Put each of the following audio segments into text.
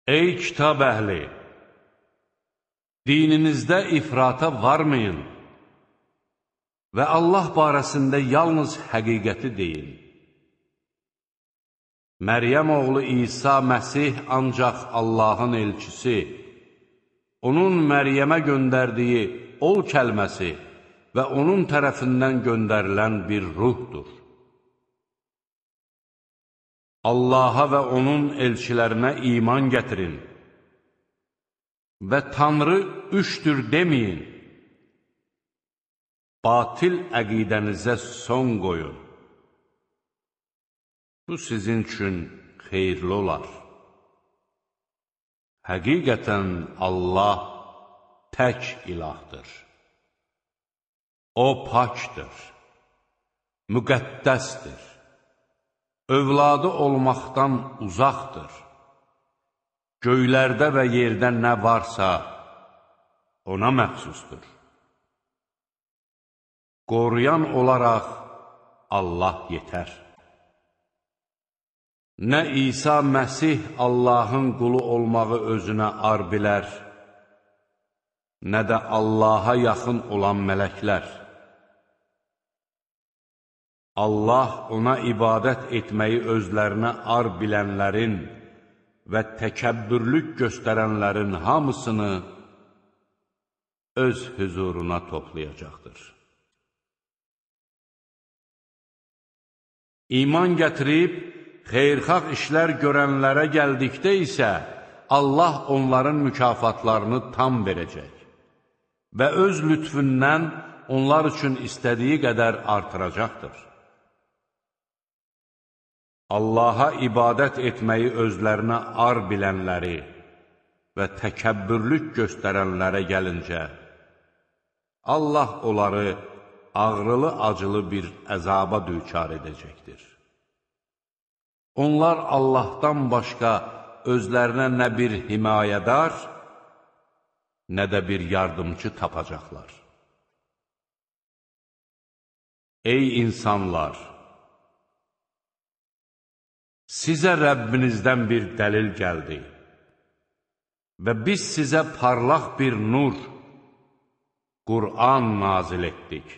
Ey kitab əhli! Dininizdə ifrata varmayın və Allah barəsində yalnız həqiqəti deyin. Məryəm oğlu İsa Məsih ancaq Allahın elçisi, onun Məryəmə göndərdiyi ol kəlməsi və onun tərəfindən göndərilən bir ruhdur. Allaha və onun elçilərinə iman gətirin və Tanrı üçdür deməyin. Batil əqidənizə son qoyun. Bu sizin üçün xeyirli olar. Həqiqətən Allah tək ilahdır. O pakdır, müqəddəsdir, övladı olmaqdan uzaqdır. Göylərdə və yerdə nə varsa ona məxsusdur. Qoruyan olaraq Allah yetər. Nə İsa Məsih Allahın qulu olmağı özünə ar bilər, nə də Allaha yaxın olan mələklər. Allah ona ibadət etməyi özlərinə ar bilənlərin və təkəbbürlük göstərənlərin hamısını öz hüzuruna toplayacaqdır. İman gətirib, xeyirxah işlər görənlərə gəldikdə isə Allah onların mükafatlarını tam verəcək və öz lütfündən onlar üçün istədiyi qədər artıracaqdır. Allaha ibadət etməyi özlərinə ar bilənləri və təkəbbürlük göstərənlərə gəlincə, Allah onları ağrılı-acılı bir əzaba düçar edəcəkdir. Onlar Allahdan başqa özlərinə nə bir himayədar, nə də bir yardımcı tapacaqlar. Ey insanlar! Sizə Rəbbinizdən bir dəlil gəldi və biz sizə parlaq bir nur, Qur'an nazil etdik.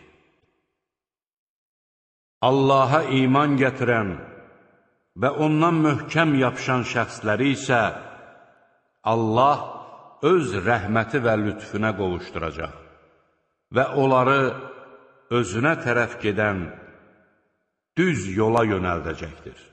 Allaha iman gətirən və ondan möhkəm yapışan şəxsləri isə Allah öz rəhməti və lütfüne qovuşduracaq və onları özünə tərəf gedən düz yola yönəldəcəkdir.